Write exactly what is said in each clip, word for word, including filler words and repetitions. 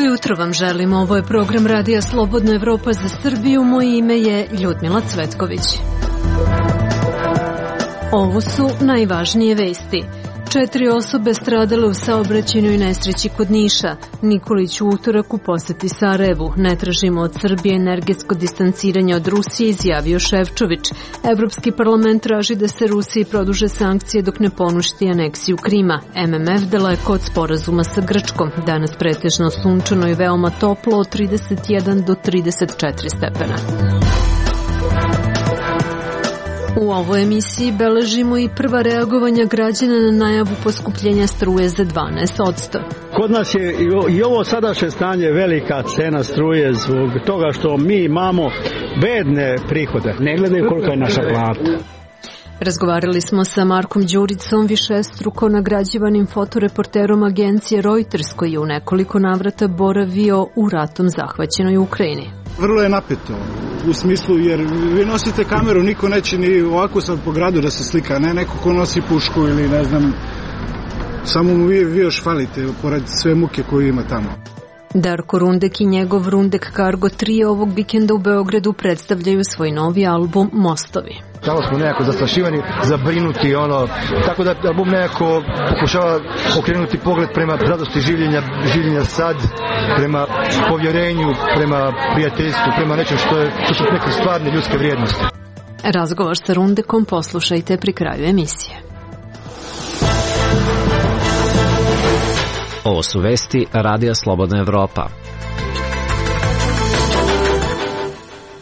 Jutro vam želim, ovo je program Radija Slobodna Evropa za Srbiju, moje ime je Ljudmila Cvetković. Ovo su najvažnije vesti. Četiri osobe stradale u saobraćajnoj nesreći kod Niša. Nikolić u utorak u poseti Sarajevu. Ne tražimo od Srbije energetsko distanciranje od Rusije, izjavio Šefčović. Evropski parlament traži da se Rusiji produže sankcije dok ne poništi aneksiju Krima. M M F daleko od sporazuma sa Grčkom. Danas pretežno sunčano i veoma toplo od trideset jedan do trideset četiri stepena. U ovoj emisiji beležimo i prva reagovanja građana na najavu poskupljenja struje za dvanaest posto. Kod nas je i ovo sadašnje stanje velika cena struje zbog toga što mi imamo bedne prihode. Ne gledaju kolika je naša plata. Razgovarali smo sa Markom Đuricom, višestruko nagrađivanim fotoreporterom agencije Reuters, koji je u nekoliko navrata boravio u ratom zahvaćenoj Ukrajini. Vrlo je napeto, u smislu jer vi nosite kameru, niko neće ni ovako sad po gradu da se slika, ne neko ko nosi pušku ili ne znam, samo mu vi, vi još falite pored sve muke koju ima tamo. Darko Rundek i njegov Rundek Cargo tri ovog vikenda u Beogradu predstavljaju svoj novi album Mostovi. Tamo smo nekako zastrašivani, zabrinuti, ono, tako da album nekako pokušava okrenuti pogled prema radosti življenja, življenja sad, prema povjerenju, prema prijateljstvu, prema nečem što, je, što su neke stvarne ljudske vrijednosti. Razgovor sa Rundekom poslušajte pri kraju emisije. Ovo su vesti Radija Slobodna Evropa.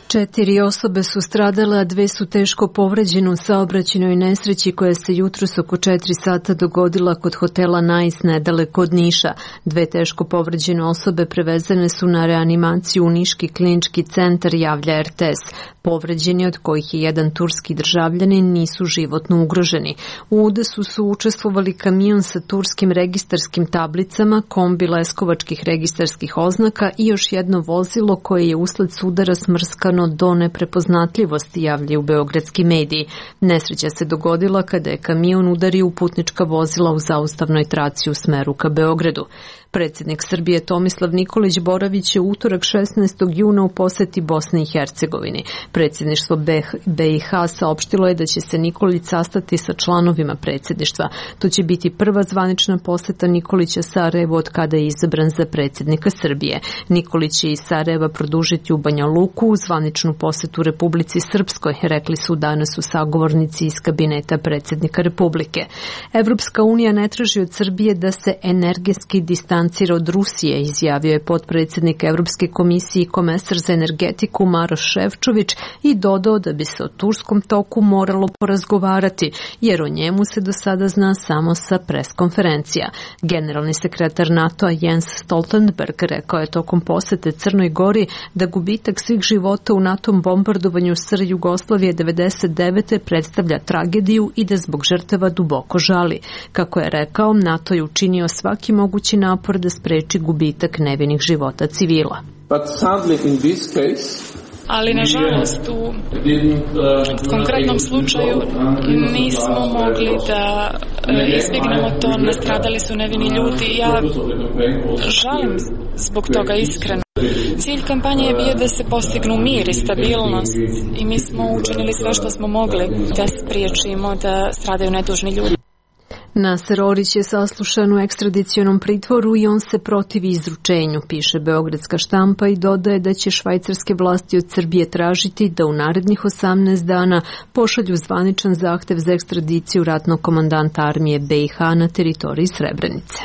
Četiri osobe su stradale, a dve su teško povređene u saobraćajnoj nesreći koja se jutros oko četiri sata dogodila kod hotela Nice nedaleko od Niša. Dve teško povređene osobe prevezene su na reanimaciju u Niški klinički centar, javlja R T S. Povređeni, od kojih je jedan turski državljanin, nisu životno ugroženi. U udesu su učestvovali kamion sa turskim registarskim tablicama, kombi leskovačkih registarskih oznaka i još jedno vozilo koje je usled sudara smrskano do neprepoznatljivosti, javljaju beogradski mediji. Nesreća se dogodila kada je kamion udario u putnička vozila u zaustavnoj traci u smeru ka Beogradu. Predsjednik Srbije Tomislav Nikolić boravić je utorak šesnaestog juna u poseti Bosni i Hercegovini. Predsjedništvo B i H saopštilo je da će se Nikolić sastati sa članovima predsjedništva. To će biti prva zvanična poseta Nikolića Sarajevu od kada je izabran za predsjednika Srbije. Nikolić će iz Sarajeva produžiti u Banja Luku u zvaničnu posetu Republici Srpskoj, rekli su danas u sagovornici iz kabineta predsjednika Republike. Evropska unija ne traži od Srbije da se energetski distancira od Rusije, izjavio je potpredsjednik Evropske komisije i komesar za energetiku Maroš Šefčović i dodao da bi se o turskom toku moralo porazgovarati, jer o njemu se do sada zna samo sa preskonferencija. Generalni sekretar NATO-a Jens Stoltenberg rekao je tokom posete Crnoj Gori da gubitak svih života u NATO bombardovanju S R Jugoslavije devedeset devete predstavlja tragediju i da zbog žrtava duboko žali. Kako je rekao, NATO je učinio svaki mogući napor da spreči gubitak nevinih života civila. But sadly in this case, ali nažalost u konkretnom slučaju nismo mogli da izbjegnemo to, nastradali su nevini ljudi. Ja žalim zbog toga iskreno. Cilj kampanje je bio da se postignu mir i stabilnost i mi smo učinili sve što smo mogli da spriječimo da stradaju nedužni ljudi. Naser Orić je saslušan u ekstradicionom pritvoru i on se protivi izručenju, piše beogradska štampa i dodaje da će švajcarske vlasti od Srbije tražiti da u narednih osamnaest dana pošalju zvaničan zahtev za ekstradiciju ratnog komandanta armije B i H na teritoriji Srebrenice.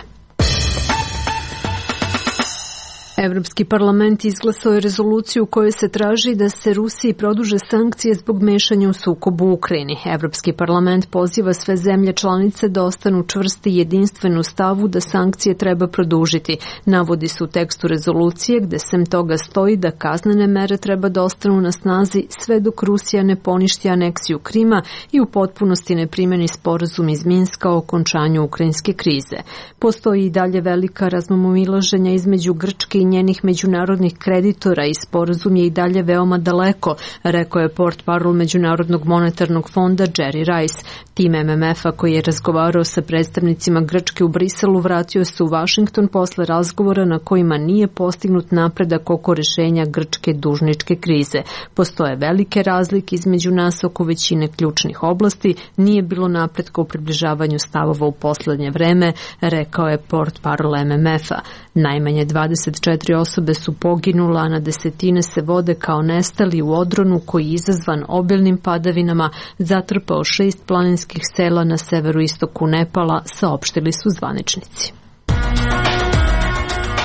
Evropski parlament izglasao je rezoluciju u kojoj se traži da se Rusiji produže sankcije zbog mešanja u sukobu u Ukrajini. Evropski parlament poziva sve zemlje članice da ostanu čvrsti i jedinstveni u stavu da sankcije treba produžiti. Navodi se u tekstu rezolucije gde sem toga stoji da kaznene mere treba da ostanu na snazi sve dok Rusija ne poništi aneksiju Krima i u potpunosti ne primeni sporazum iz Minska o okončanju ukrajinske krize. Postoji i dalje velika razmimoilaženja između Grčke i njenih međunarodnih kreditora i sporazum je i dalje veoma daleko, rekao je portparol Međunarodnog monetarnog fonda Jerry Rice. Tim M M F-a koji je razgovarao sa predstavnicima Grčke u Briselu vratio se u Vašington posle razgovora na kojima nije postignut napredak oko rešenja grčke dužničke krize. Postoje velike razlike između nas oko većine ključnih oblasti, nije bilo napretka u približavanju stavova u poslednje vreme, rekao je portparol M M F-a. Najmanje dvadeset četiri osobe su poginula, a na desetine se vode kao nestali u odronu koji je izazvan obilnim padavinama zatrpao šest planinskih sela na severu istoku Nepala, saopštili su zvaničnici.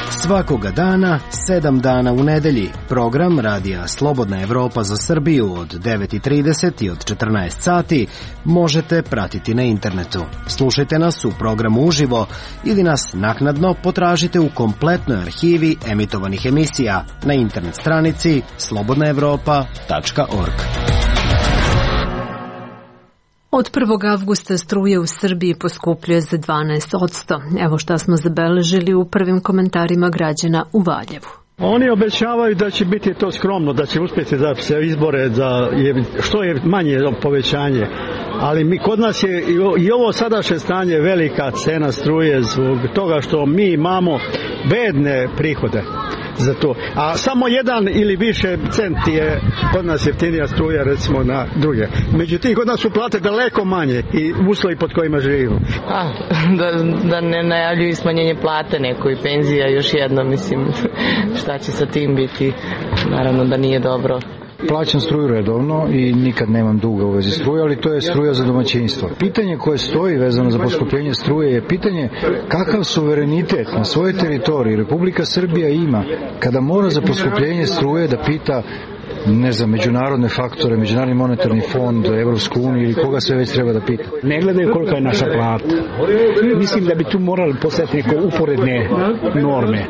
Svakoga dana, sedam dana u nedelji. Program Radija Slobodna Evropa za Srbiju od devet i trideset i od četrnaest sati možete pratiti na internetu. Slušajte nas u programu uživo ili nas naknadno potražite u kompletnoj arhivi emitovanih emisija na internet stranici slobodna evropa tačka org. Od prvog avgusta struje u Srbiji poskupljuje za dvanaest posto. Evo šta smo zabeležili u prvim komentarima građana u Valjevu. Oni obećavaju da će biti to skromno, da će uspjeti da se izbore za što je manje povećanje. Ali mi, kod nas je i ovo sadašnje stanje velika cena struje zbog toga što mi imamo bedne prihode za to. A samo jedan ili više centi je kod nas jeftinija struja recimo na druge. Međutim, kod nas su plate daleko manje i uslovi pod kojima živimo. A, da, da ne najavljuju smanjenje plate neko i penzija još jedno, mislim, šta će sa tim biti, naravno da nije dobro. Plaćam struju redovno i nikad nemam duga u vezi struje, ali to je struja za domaćinstvo. Pitanje koje stoji vezano za poskupljenje struje je pitanje kakav suverenitet na svojoj teritoriji Republika Srbija ima kada mora za poskupljenje struje da pita ne znam, međunarodne faktore, Međunarodni monetarni fond, Evropsku uniju ili koga sve već treba da pita. Ne gledaju kolika je naša plata. Mislim da bi tu morali postaviti neke uporedne norme.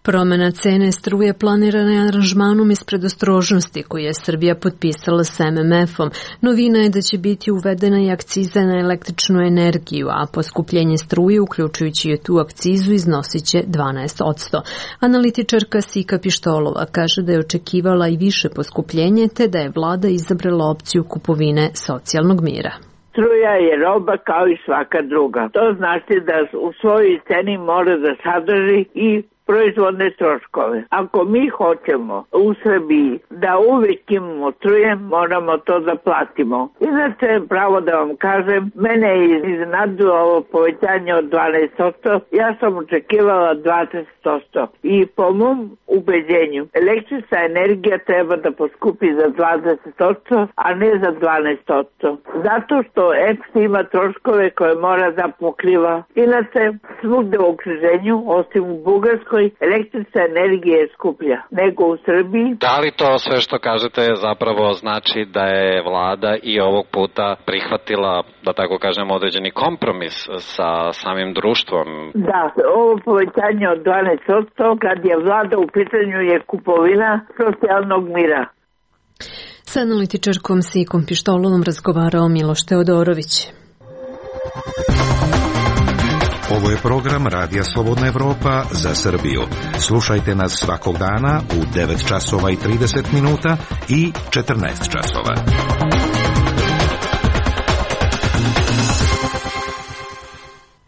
Promena cene struje planirana je aranžmanom iz predostrožnosti koji je Srbija potpisala s M M F-om. Novina je da će biti uvedena i akciza na električnu energiju, a poskupljenje struje, uključujući i tu akcizu, iznosit će dvanaest posto. Analitičarka Sika Pištolova kaže da je očekivala i više poskupljenje, te da je vlada izabrala opciju kupovine socijalnog mira. Struja je roba kao i svaka druga. To znači da u svojoj ceni mora da sadrži i proizvodne troškove. Ako mi hoćemo u Srbiji da uvijek imamo struje, moramo to da platimo. Inače, pravo da vam kažem, mene je iznenadilo ovo povećanje od dvanaest posto. Ja sam očekivala dvadeset posto. I po mom ubeđenju, električna energija treba da poskupi za dvadeset posto, a ne za dvanaest posto. Zato što E P S ima troškove koje mora da pokriva. Inače, svugde u okruženju, osim u Bugarskoj, električna energija je skuplja nego u Srbiji. Da li to sve što kažete zapravo znači da je vlada i ovog puta prihvatila, da tako kažem, određeni kompromis sa samim društvom? Da, ovo povećanje od dvanaest posto kad je vlada u pitanju je kupovina socijalnog mira. Sa analitičarkom Sikom Pištolovom razgovarao Miloš Teodorović. Ovo je program Radija Slobodna Evropa za Srbiju. Slušajte nas svakog dana u devet časova i trideset minuta i četrnaest časova.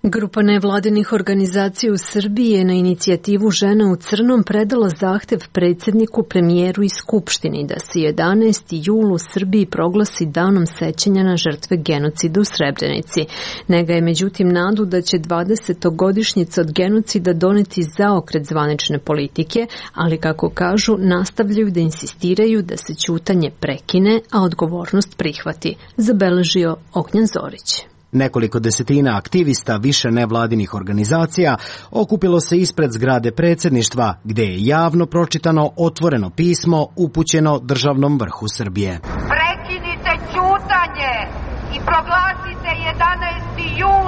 Grupa nevladinih organizacija u Srbiji je na inicijativu Žena u crnom predala zahtev predsjedniku, premijeru i skupštini da se jedanaesti jul u Srbiji proglasi danom sećanja na žrtve genocida u Srebrenici. Nega je međutim nadu da će dvadesetogodišnjica od genocida doneti zaokret zvanične politike, ali kako kažu, nastavljaju da insistiraju da se ćutanje prekine, a odgovornost prihvati, zabeležio Ognjen Zorić. Nekoliko desetina aktivista više nevladinih organizacija okupilo se ispred zgrade predsjedništva, gde je javno pročitano otvoreno pismo upućeno državnom vrhu Srbije. Prekinite ćutanje i proglasite jedanaesti jul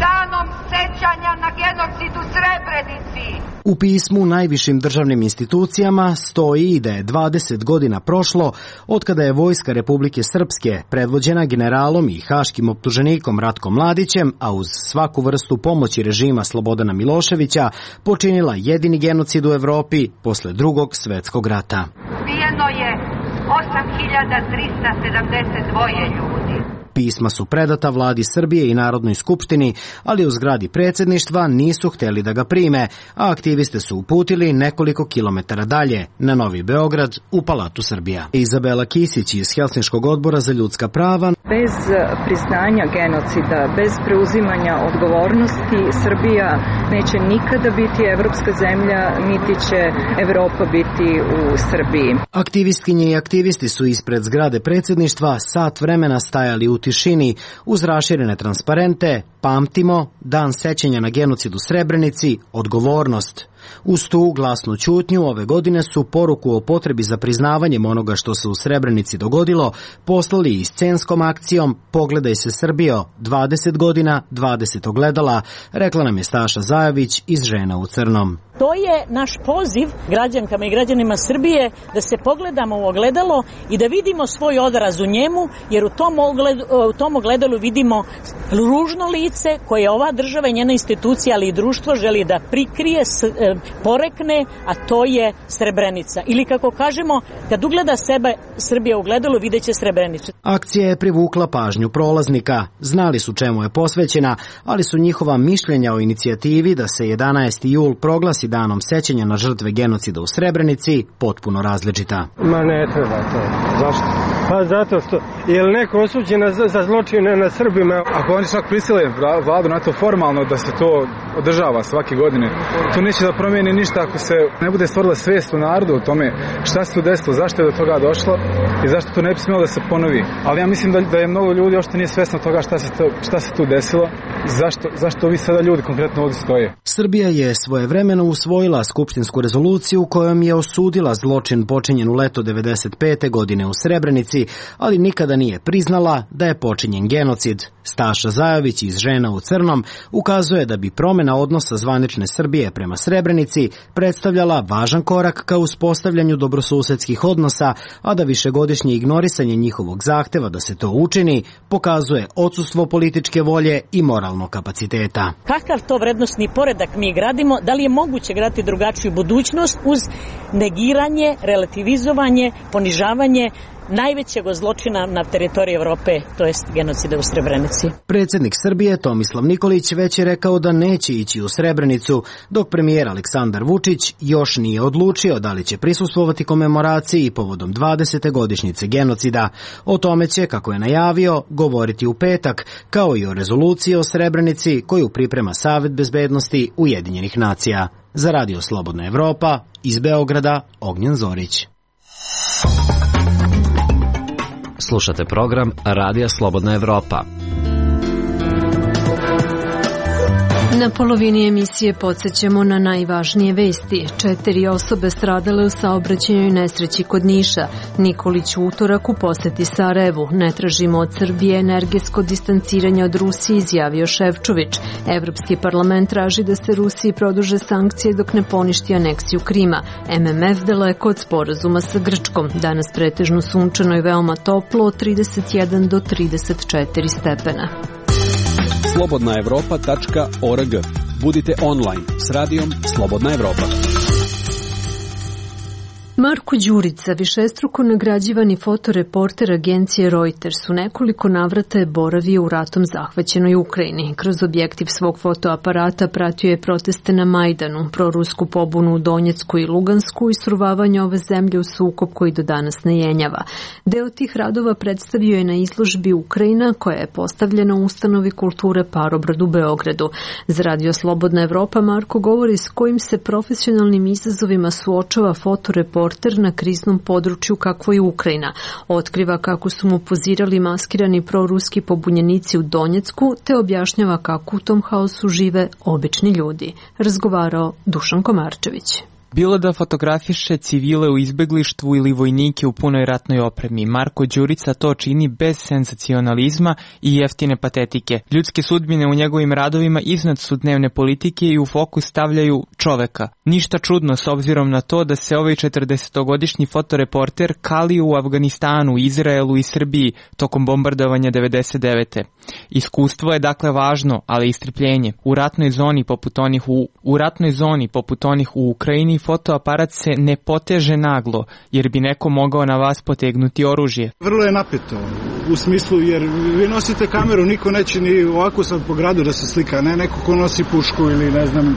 danom sećanja na genocid u Srebrenici. U pismu najvišim državnim institucijama stoji i da je dvadeset godina prošlo od kada je Vojska Republike Srpske, predvođena generalom i haškim optuženikom Ratkom Mladićem, a uz svaku vrstu pomoći režima Slobodana Miloševića, počinila jedini genocid u Evropi posle Drugog svetskog rata. Ubijeno je osam hiljada trista sedamdeset dva ljudi. Pisma su predata vladi Srbije i Narodnoj skupštini, ali u zgradi predsjedništva nisu hteli da ga prime, a aktiviste su uputili nekoliko kilometara dalje, na Novi Beograd, u Palatu Srbija. Izabela Kisić iz Helsinškog odbora za ljudska prava. Bez priznanja genocida, bez preuzimanja odgovornosti, Srbija neće nikada biti evropska zemlja, niti će Evropa biti u Srbiji. Aktivistkinje i aktivisti su ispred zgrade predsjedništva sat vremena stajali u tišini uz raširene transparente "Pamtimo, dan sećanja na genocid u Srebrenici, odgovornost". Uz tu glasnu ćutnju ove godine su poruku o potrebi za priznavanjem onoga što se u Srebrenici dogodilo poslali i scenskom akcijom "Pogledaj se Srbijo, dvadeset godina, dvadeset ogledala", rekla nam je Staša Zajović iz Žena u crnom. To je naš poziv građankama i građanima Srbije da se pogledamo u ogledalo i da vidimo svoj odraz u njemu, jer u tom, ogledu, u tom ogledalu vidimo ružno lice koje ova država i njena institucija, ali i društvo želi da prikrije, porekne, a to je Srebrenica. Ili kako kažemo, kad ugleda sebe Srbija u ogledalu, vidjet će Srebrenicu. Akcija je privukla pažnju prolaznika. Znali su čemu je posvećena, ali su njihova mišljenja o inicijativi da se jedanaesti jul proglasi danom sećanja na žrtve genocida u Srebrenici potpuno različita. Ma ne treba to. Zašto? Pa zato što je li neko osuđen za, za zločine na Srbima? Ako oni čak prisile vladu na to formalno da se to održava svake godine, to neće da promijeni ništa ako se ne bude stvorila svijest u narodu o tome šta se tu desilo, zašto je do toga došlo i zašto to ne bi smjelo da se ponovi. Ali ja mislim da, da je mnogo ljudi uopšte nije svjesno toga šta se, to, šta se tu desilo, zašto, zašto vi sada ljudi konkretno ovdje stoje. Srbija je svojevremeno usvojila skupštinsku rezoluciju kojom je osudila zločin počinjen u leto devedeset pete godine u Srebrenici, ali nikada nije priznala da je počinjen genocid. Staša Zajović iz Žena u crnom ukazuje da bi promjena odnosa zvanične Srbije prema Srebrenici predstavljala važan korak ka uspostavljanju dobrosusedskih odnosa, a da višegodišnje ignorisanje njihovog zahteva da se to učini pokazuje odsustvo političke volje i moralnog kapaciteta. Kakav to vrednostni poredak mi gradimo? Da li je moguće graditi drugačiju budućnost uz negiranje, relativizovanje, ponižavanje najvećeg zločina na teritoriji Evrope, to jest genocida u Srebrenici? Predsjednik Srbije Tomislav Nikolić već je rekao da neće ići u Srebrenicu, dok premijer Aleksandar Vučić još nije odlučio da li će prisustvovati komemoraciji povodom dvadesete godišnjice genocida. O tome će, kako je najavio, govoriti u petak, kao i o rezoluciji o Srebrenici koju priprema Savet bezbednosti Ujedinjenih nacija. Za Radio Slobodna Evropa, iz Beograda, Ognjen Zorić. Slušate program Radija Slobodna Evropa. Na polovini emisije podsjećamo na najvažnije vesti. Četiri osobe stradale u saobraćajnoj nesreći kod Niša. Nikolić u utorak u poseti Sarajevu. Ne tražimo od Srbije energetsko distanciranje od Rusije, izjavio Šefčović. Evropski parlament traži da se Rusiji produže sankcije dok ne poništi aneksiju Krima. M M F daleko od sporazuma sa Grčkom. Danas pretežno sunčano i veoma toplo od trideset jedan do trideset četiri stepena. slobodna evropa tačka org. Budite online s radijom Slobodna Evropa. Marko Đurica, višestruko nagrađivani fotoreporter agencije Reuters, u nekoliko navrata je boravio u ratom zahvaćenoj Ukrajini. Kroz objektiv svog fotoaparata pratio je proteste na Majdanu, prorusku pobunu u Donjecku i Lugansku i sruvavanje ove zemlje u sukob koji do danas ne jenjava. Deo tih radova predstavio je na izložbi Ukrajina, koja je postavljena u ustanovi kulture Parobrad u Beogradu. Za Radio Slobodna Evropa Marko govori s kojim se profesionalnim izazovima suočava fotoreporter na kriznom području kakvo je Ukrajina. Otkriva kako su mu pozirali maskirani proruski pobunjenici u Donjecku, te objašnjava kako u tom haosu žive obični ljudi. Razgovarao Dušan Komarčević. Bilo da fotografiše civile u izbeglištvu ili vojnike u punoj ratnoj opremi, Marko Đurica to čini bez senzacionalizma i jeftine patetike. Ljudske sudbine u njegovim radovima iznad su dnevne politike i u fokus stavljaju čoveka. Ništa čudno s obzirom na to da se ovaj četrdesetogodišnji fotoreporter kali u Afganistanu, Izraelu i Srbiji tokom bombardovanja devedeset devete. Iskustvo je dakle važno, ali i strpljenje. U ratnoj zoni poput onih u, u ratnoj zoni poput onih u Ukrajini fotoaparat se ne poteže naglo, jer bi neko mogao na vas potegnuti oružje. Vrlo je napeto, u smislu, jer vi nosite kameru, niko neće ni ovako sad po gradu da se slika, ne neko ko nosi pušku ili ne znam,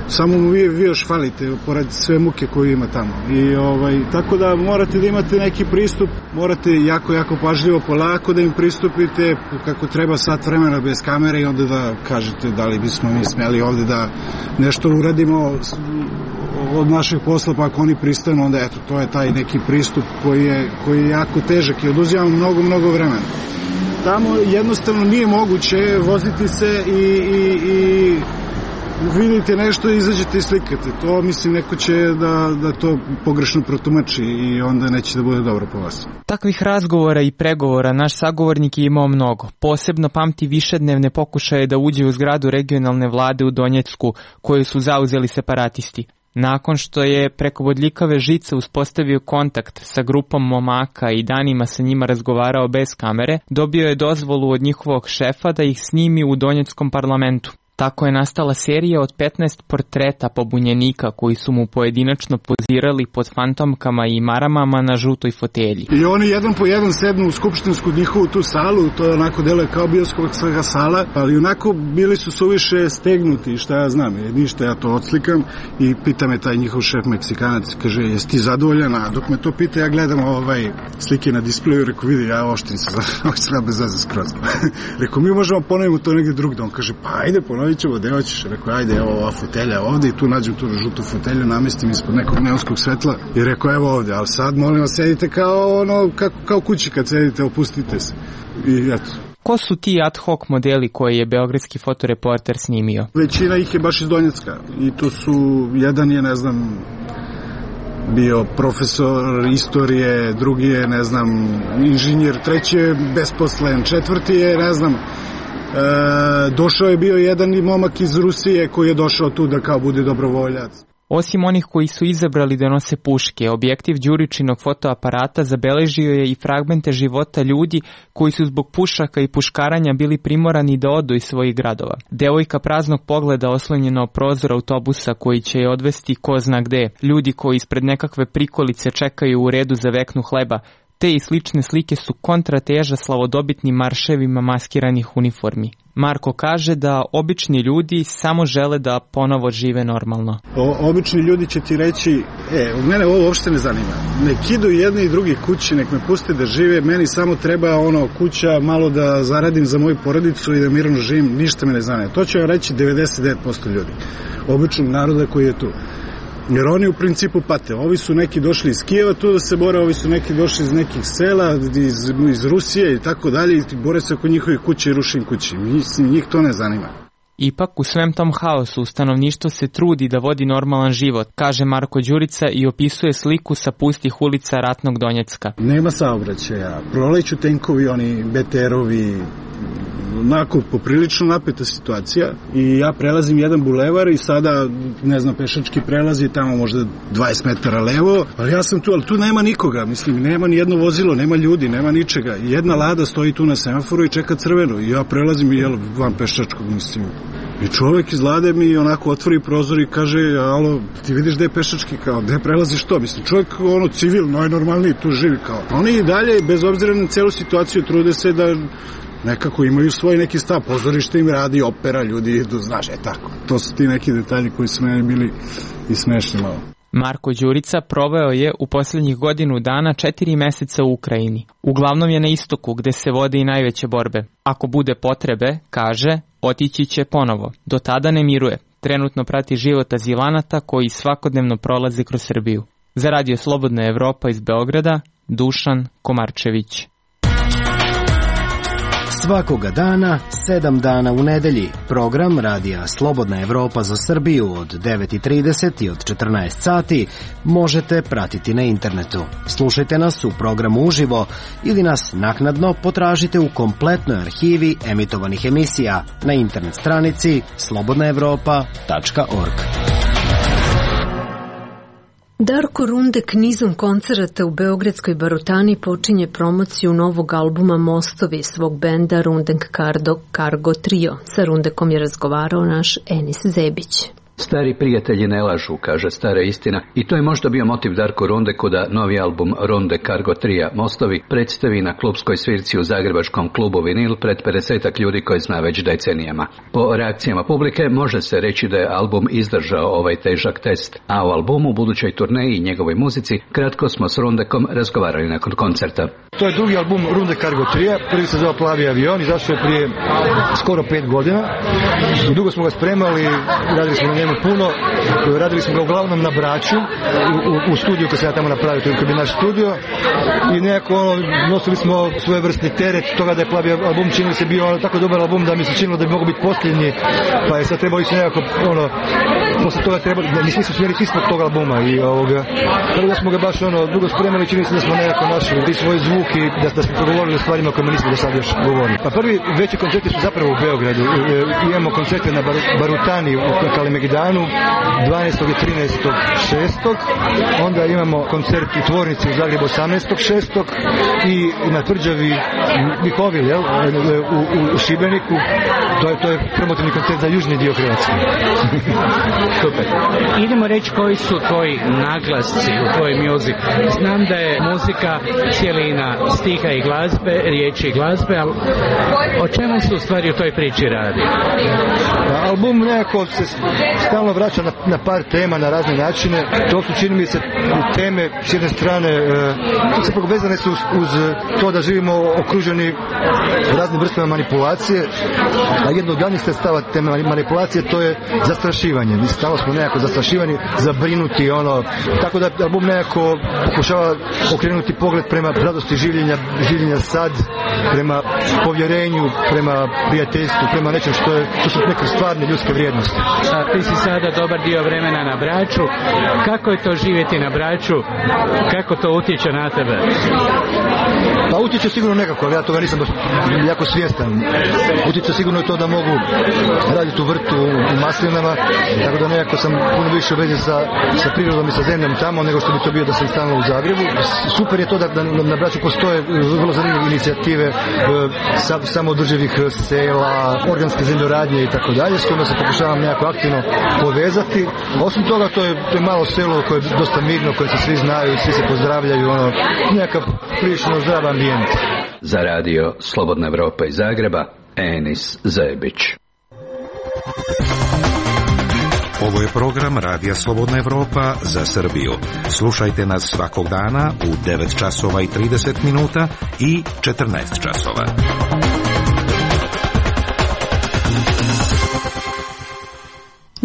samo mu vi, vi još falite, pored sve muke koju ima tamo. I ovaj, tako da morate da imate neki pristup, morate jako, jako pažljivo, polako da im pristupite, kako treba sat vremena bez kamere i onda da kažete da li bismo mi smeli ovde da nešto uradimo od našeg posla, pa ako oni pristanu, onda eto, to je taj neki pristup koji je, koji je jako težak i oduzima mnogo, mnogo vremena. Tamo jednostavno nije moguće voziti se i, i, i vidite nešto i izađete i slikate. To mislim neko će da, da to pogrešno protumači i onda neće da bude dobro po vas. Takvih razgovora i pregovora naš sagovornik je imao mnogo. Posebno pamti višednevne pokušaje da uđe u zgradu regionalne vlade u Donjecku koju su zauzeli separatisti. Nakon što je preko bodljikave žice uspostavio kontakt sa grupom momaka i danima sa njima razgovarao bez kamere, dobio je dozvolu od njihovog šefa da ih snimi u Donjeckom parlamentu. Tako je nastala serija od petnaest portreta pobunjenika koji su mu pojedinačno pozirali pod fantomkama i maramama na žutoj fotelji. I oni jedan po jedan sednu u skupštinsku njihovu tu salu, to je onako deluje kao bioskopska sala, ali onako bili su suviše stegnuti, šta ja znam, ništa ja to odslikam i pita me taj njihov šef Meksikanac, kaže, jesi ti zadovoljan? A dok me to pita, ja gledam ovaj slike na displeju, rekao, vidi, ja oštim se, oštim bez veze skroz. Rekao, mi možemo ponovimo to negdje drugdje. On kaže, pa ajde, ponovit ćemo, gde hoćeš? Rekao, ajde, evo ova fotelja ovde i tu nađem tu žutu fotelju, namestim ispod nekog neonskog svetla i rekao, evo ovde, ali sad molim vas, sedite kao ono, kako, kao kući kad sedite, opustite se. I eto. Ko su ti ad hoc modeli koje je beogradski fotoreporter snimio? Većina ih je baš iz Donjecka i tu su, jedan je, ne znam, bio profesor istorije, drugi je, ne znam, inženjer, treći je besposlen, četvrti je, ne znam, E, došao je bio jedan momak iz Rusije koji je došao tu da kao bude dobrovoljac. Osim onih koji su izabrali da nose puške, objektiv Đuričinog fotoaparata zabeležio je i fragmente života ljudi koji su zbog pušaka i puškaranja bili primorani da odu iz svojih gradova. Devojka praznog pogleda oslonjena o prozor autobusa koji će je odvesti ko zna gde, ljudi koji ispred nekakve prikolice čekaju u redu za veknu hleba. Te i slične slike su kontrateža slavodobitnim marševima maskiranih uniformi. Marko kaže da obični ljudi samo žele da ponovo žive normalno. O, obični ljudi će ti reći, e, od mene ovo uopšte ne zanima. Nek idu jedni i drugi kući, nek me puste da žive, meni samo treba ono kuća, malo da zaradim za moju porodicu i da mirno živim, ništa me ne zanima. To će vam reći devedeset devet posto ljudi, običnog naroda koji je tu. Jer oni u principu pate. Ovi su neki došli iz Kijeva tu da se bore, ovi su neki došli iz nekih sela, iz, iz Rusije i tako dalje i bore se oko njihovih kuće i rušim kući. Mislim, njih to ne zanima. Ipak u svem tom haosu stanovništvo se trudi da vodi normalan život, kaže Marko Đurica i opisuje sliku sa pustih ulica ratnog Donjecka. Nema saobraćaja, proleću tenkovi, oni be te erovi, onako poprilično napeta situacija i ja prelazim jedan bulevar i sada, ne znam, pešački prelaz je tamo možda dvadeset metara levo, ali ja sam tu, ali tu nema nikoga, mislim, nema ni jedno vozilo, nema ljudi, nema ničega. Jedna lada stoji tu na semaforu i čeka crveno i ja prelazim i jel, van pešačkog, mislim. I čovek iz lade mi onako otvori prozor i kaže, alo, ti vidiš gde je pešački, kao, gde prelaziš to? Mislim, čovek ono civil, najnormalniji, tu živi kao. Oni i dalje, bez obzira na celu situaciju, trude se da nekako imaju svoj neki stav, pozorište im radi, opera, ljudi idu, znaš, je tako. To su ti neki detalji koji su meni bili i smešni malo. Marko Đurica proveo je u posljednjih godinu dana četiri meseca u Ukrajini. Uglavnom je na istoku gde se vode i najveće borbe. Ako bude potrebe, kaže, otići će ponovo. Do tada ne miruje. Trenutno prati život azilanata koji svakodnevno prolaze kroz Srbiju. Za Radio Slobodna Evropa iz Beograda, Dušan Komarčević. Svakoga dana, sedam dana u nedelji. Program Radija Slobodna Evropa za Srbiju od devet i trideset i od četrnaest sati možete pratiti na internetu. Slušajte nas u programu uživo ili nas naknadno potražite u kompletnoj arhivi emitovanih emisija na internet stranici slobodna evropa tačka org. Darko Rundek nizom koncerata u Beogradskoj Barutani počinje promociju novog albuma Mostovi svog benda Rundek Cargo Trio. Sa Rundekom je razgovarao naš Enis Zebić. Stari prijatelji ne lažu, kaže stara istina, i to je možda bio motiv Darko Rundeku da novi album Runde Cargo Trija Mostovi predstavi na klubskoj svirci u zagrebačkom klubu Vinil pred pedesetak ljudi koji zna već decenijama. Po reakcijama publike može se reći da je album izdržao ovaj težak test, a o albumu, budućoj turneji i njegovoj muzici kratko smo s Rundekom razgovarali nakon koncerta. To je drugi album Runde Cargo Trija, prvi se zove Plavi avion, izašao je prije skoro pet godina. Dugo smo ga spremali, radili smo na njemu puno, radili smo ga uglavnom na Braču, u, u studiju koji se ja tamo napravio, to je naš studio, i nekako ono, nosili smo svojevrsni teret toga da je Plavi album činili se bio ono, tako dobar album da mi se činilo da bi mogo biti posljednji, pa je sad trebalo ići nekako ono, posle toga trebalo, mi smo smjeri ispod tog albuma i ovoga, tako da smo ga baš ono, dugo spremali, čini se da smo nekako našli i svoj zvuk i da, da smo progovorili o stvarima o kojima nismo do sad još govorili. Pa prvi veći koncerti su zapravo u Beogradu, e, imamo koncerte na Bar, Barutani u Kalemegdanu dvanaestog i trinaestog šestog Onda imamo koncert u Tvornici u Zagrebu osamnaestog šestog i na Tvrđavi Mihovil, jel, u, u, u Šibeniku. To je, to je promotivni koncert za južni dio Hrvatske. Super. Idemo reći koji su tvoji naglasci u tvoj muzik. Znam da je muzika cijelina stiha i glazbe, riječi i glazbe, ali o čemu se u stvari u toj priči radi? Album nekako se stalno vraća na, na par tema, na razne načine. To su, čini mi se, teme s jedne strane e, se vezane su uz, uz to da živimo okruženi raznim vrstama manipulacije, a jedno od glavnih sredstava te manipulacije to je zastrašivanje. Mi stalno smo nekako zastrašivani, zabrinuti, ono, tako da album nekako pokušava okrenuti pogled prema radosti življenja, življenja sad, prema povjerenju, prema prijateljstvu, prema nečem što je, što su neke stvarne ljudske vrijednosti. A ti si sada dobar dio vremena na Braču. Kako je to živjeti na Braču? Kako to utječe na tebe? Pa utječe sigurno nekako, ali ja toga nisam baš jako svjestan. Utječe sigurno je to da mogu raditi u vrtu, u maslinama, tako da nekako sam puno više u vezi sa, sa prirodom i sa zemljom tamo nego što bi to bio da sam stalno u Zagrebu. Super je to da, da na Braču postoje vrlo zanimljive inicijative sa, samoodrživih sela, organske zemljoradnje i tako dalje, s kojima se pokušavam nekako aktivno povezati. Osim toga, to je, to je malo selo koje je dosta mirno, koje se svi znaju, svi se pozdravljaju, ono, nekakav prilično zdrav ambijent. Za radio Slobodna Evropa iz Zagreba, Enis Zebić. Ovo je program Radija Slobodna Evropa za Srbiju. Slušajte nas svakog dana u devet časova i trideset minuta i četrnaest časova.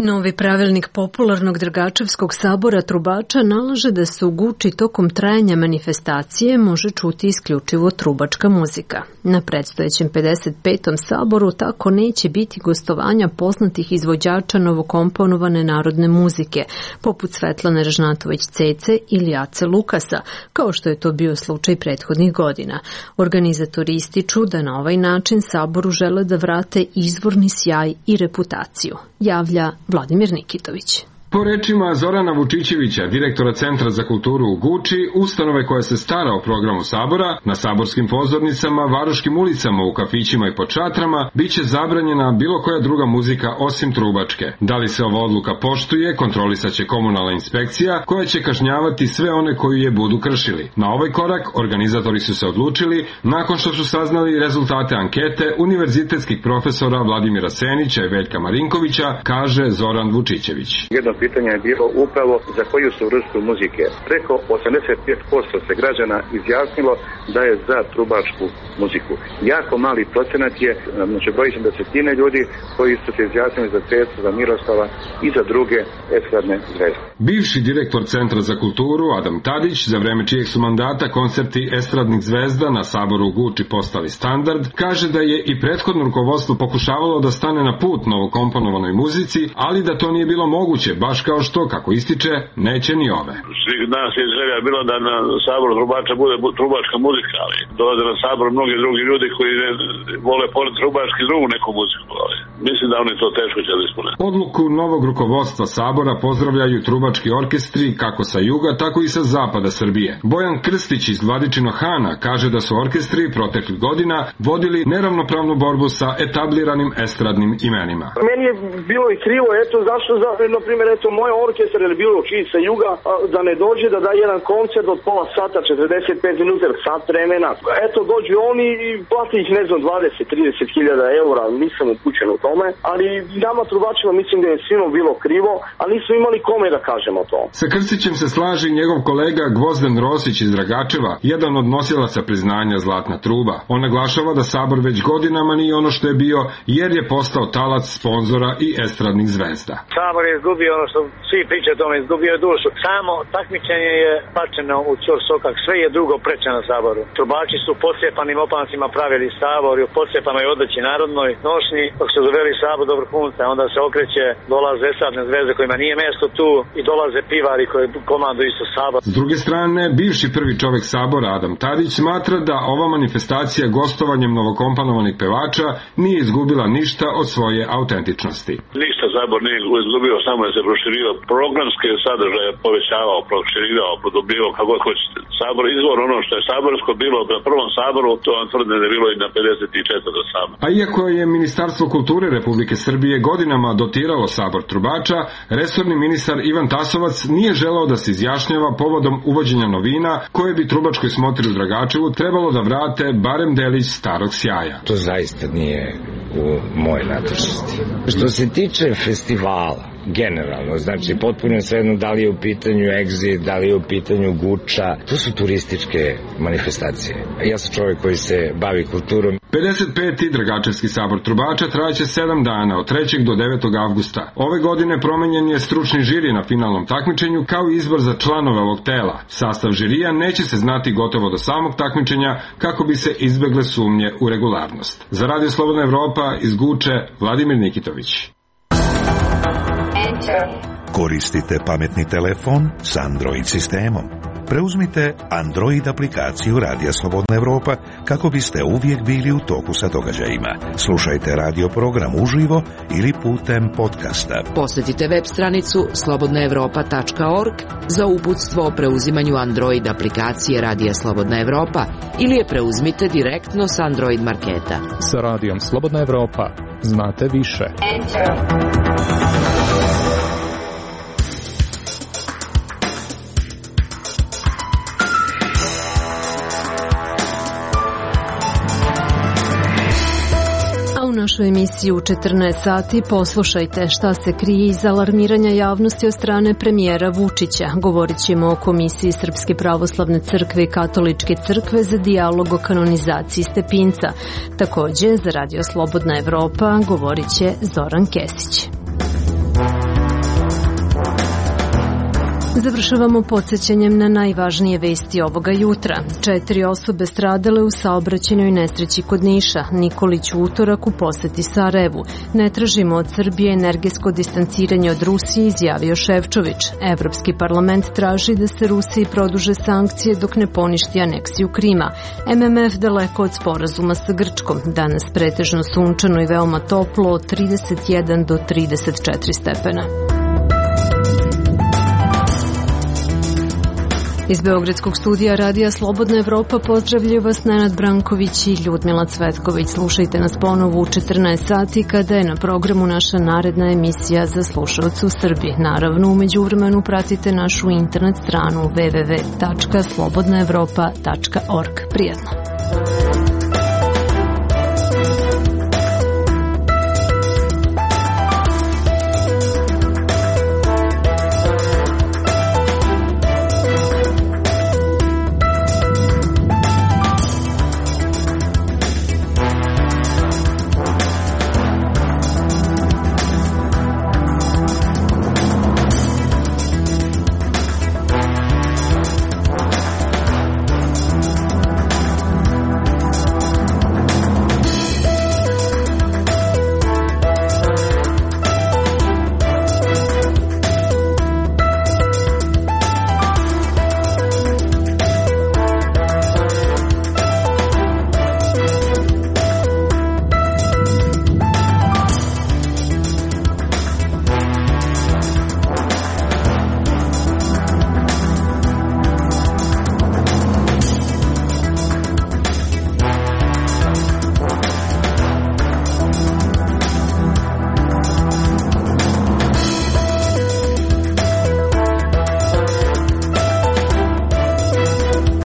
Novi pravilnik popularnog Dragačevskog sabora trubača nalaže da se u Guči tokom trajanja manifestacije može čuti isključivo trubačka muzika. Na predstojećem pedeset petom saboru tako neće biti gostovanja poznatih izvođača novokomponovane narodne muzike, poput Svetlane Ražnatović-Cece ili Ace Lukasa, kao što je to bio slučaj prethodnih godina. Organizatori ističu da na ovaj način saboru žele da vrate izvorni sjaj i reputaciju. Javlja Vladimir Nikitović. Po rečima Zorana Vučićevića, direktora Centra za kulturu u Guči, ustanove koja se stara o programu sabora, na saborskim pozornicama, varoškim ulicama, u kafićima i pod šatrama, bit će zabranjena bilo koja druga muzika osim trubačke. Da li se ova odluka poštuje, kontrolisaće komunalna inspekcija, koja će kažnjavati sve one koji je budu kršili. Na ovaj korak organizatori su se odlučili nakon što su saznali rezultate ankete univerzitetskih profesora Vladimira Senića i Veljka Marinkovića, kaže Zoran Vučićević. Jedna pitanje je bilo upravo za koju su vrstu muzike. Preko osamdeset pet posto se građana izjasnilo da je za trubačku muziku. Jako mali procenat je, znači broji se desetine ljudi koji su se izjasnili za Cecu, za Miroslava i za druge estradne zvezde. Bivši direktor Centra za kulturu Adam Tadić, za vreme čijeg su mandata koncerti estradnih zvezda na Saboru u Guči postali standard, kaže da je i prethodno rukovodstvo pokušavalo da stane na put novokomponovanoj muzici, ali da to nije bilo moguće, baš kao što, kako ističe, neće ni ove. Svih nas je želja bilo da na Saboru trubača bude trubačka muzika, ali dolaze na Sabor mnogi drugi ljudi koji ne vole pored trubački drugu neku muziku, ali mislim da oni to teško će da ispune. Odluku novog rukovodstva Sabora pozdravljaju trubački orkestri kako sa juga, tako i sa zapada Srbije. Bojan Krstić iz Vladičinog Hana kaže da su orkestri proteklih godina vodili neravnopravnu borbu sa etabliranim estradnim imenima. Meni je bilo i krivo, eto zašto, za, na primjer, eto moj orkestar je bilo čiji sa juga, da ne dođe da da jedan koncert od pola sata, četrdeset pet minuta, sat vremena. Eto dođu oni i plati ih, ne znam, dvadeset do trideset hiljada eura, nisam upućen u tome, ali nama trubačima mislim da je svima bilo krivo, a nismo imali kome da kažemo to. Sa Krstićem se slaži njegov kolega Gvozden Rosić iz Dragačeva, jedan od nosilaca priznanja Zlatna truba. On naglašava da Sabor već godinama nije ono što je bio, jer je postao talac sponzora i estradnih zvezda. Sabor je izgubio ono što svi pričaju o tome, izgubio je dušu. Samo takmičenje je pačeno u ćor sokak, sve je drugo preče na Saboru. Trubači su posjepanim opancima pravili Sabor i u posjepanoj odjeći narodnoj nošnji, dok se doveli Sabor do vrhunca, onda se okreće, dolaze estradne zvezde kojima nije mesto tu i dolaze pivari koji komanduju isto Sabor. S druge strane, bivši prvi čovek Sabora Adam Tadić smatra da ova manifestacija gostovanjem novokomponovanih pevača nije izgubila ništa od svoje autentičnosti. Ništa Sabor nije izgubio, samo je se proširio programske sadržaje, povećavao, proširivao, podobljivao, kako hoćete. Sabor izvor ono što je saborsko bilo na prvom Saboru, to vam tvrde da je bilo i na pedeset četvrtom Saboru. A iako je Ministarstvo kulture Republike Srbije godinama dotiralo Sabor trubača, resorni ministar Ivan Tasovac nije želeo da se izjašnjava povodom uvođenja novina koje bi trubačkoj smotri u Dragačevu trebalo da vrate barem delić starog sjaja. To zaista nije u moje nadležnosti. Što se tiče festivala, generalno, znači potpuno svejedno da li je u pitanju Exit, da li je u pitanju Guča, to su turističke manifestacije. Ja sam čovjek koji se bavi kulturom. pedeset peti Dragačevski sabor trubača trajaće sedam dana, od trećeg do devetog avgusta. Ove godine promenjen je stručni žiri na finalnom takmičenju, kao i izbor za članove ovog tela. Sastav žirija neće se znati gotovo do samog takmičenja, kako bi se izbegle sumnje u regularnost. Za Radio Slobodna Evropa iz Guče, Vladimir Nikitović. Koristite pametni telefon s Android sistemom. Preuzmite Android aplikaciju Radija Slobodna Evropa kako biste uvijek bili u toku sa događajima. Slušajte radio program uživo ili putem podcasta. Posjetite web stranicu slobodna evropa tačka org za uputstvo o preuzimanju Android aplikacije Radija Slobodna Evropa ili je preuzmite direktno s Android marketa. Sa Radijom Slobodna Evropa znate više. U našoj emisiji u četrnaest sati poslušajte šta se krije iz alarmiranja javnosti od strane premijera Vučića. Govorit ćemo o Komisiji Srpske pravoslavne crkve i Katoličke crkve za dijalog o kanonizaciji Stepinca. Također, za Radio Slobodna Evropa govorit će Zoran Kesić. Završavamo podsjećanjem na najvažnije vesti ovoga jutra. Četiri osobe stradale u saobraćajnoj nesreći kod Niša. Nikolić u utorak u poseti Sarajevu. Ne tražimo od Srbije energetsko distanciranje od Rusije, izjavio Šefčović. Evropski parlament traži da se Rusiji produže sankcije dok ne poništi aneksiju Krima. M M F daleko od sporazuma sa Grčkom. Danas pretežno sunčano i veoma toplo od trideset jedan do trideset četiri stepena. Iz Beogradskog studija Radija Slobodna Evropa pozdravljaju vas Nenad Branković i Ljudmila Cvetković. Slušajte nas ponovo u četrnaest sati kada je na programu naša naredna emisija za slušalce u Srbiji. Naravno, u međuvremenu pratite našu internet stranu w w w tačka slobodna evropa tačka org. Prijetno!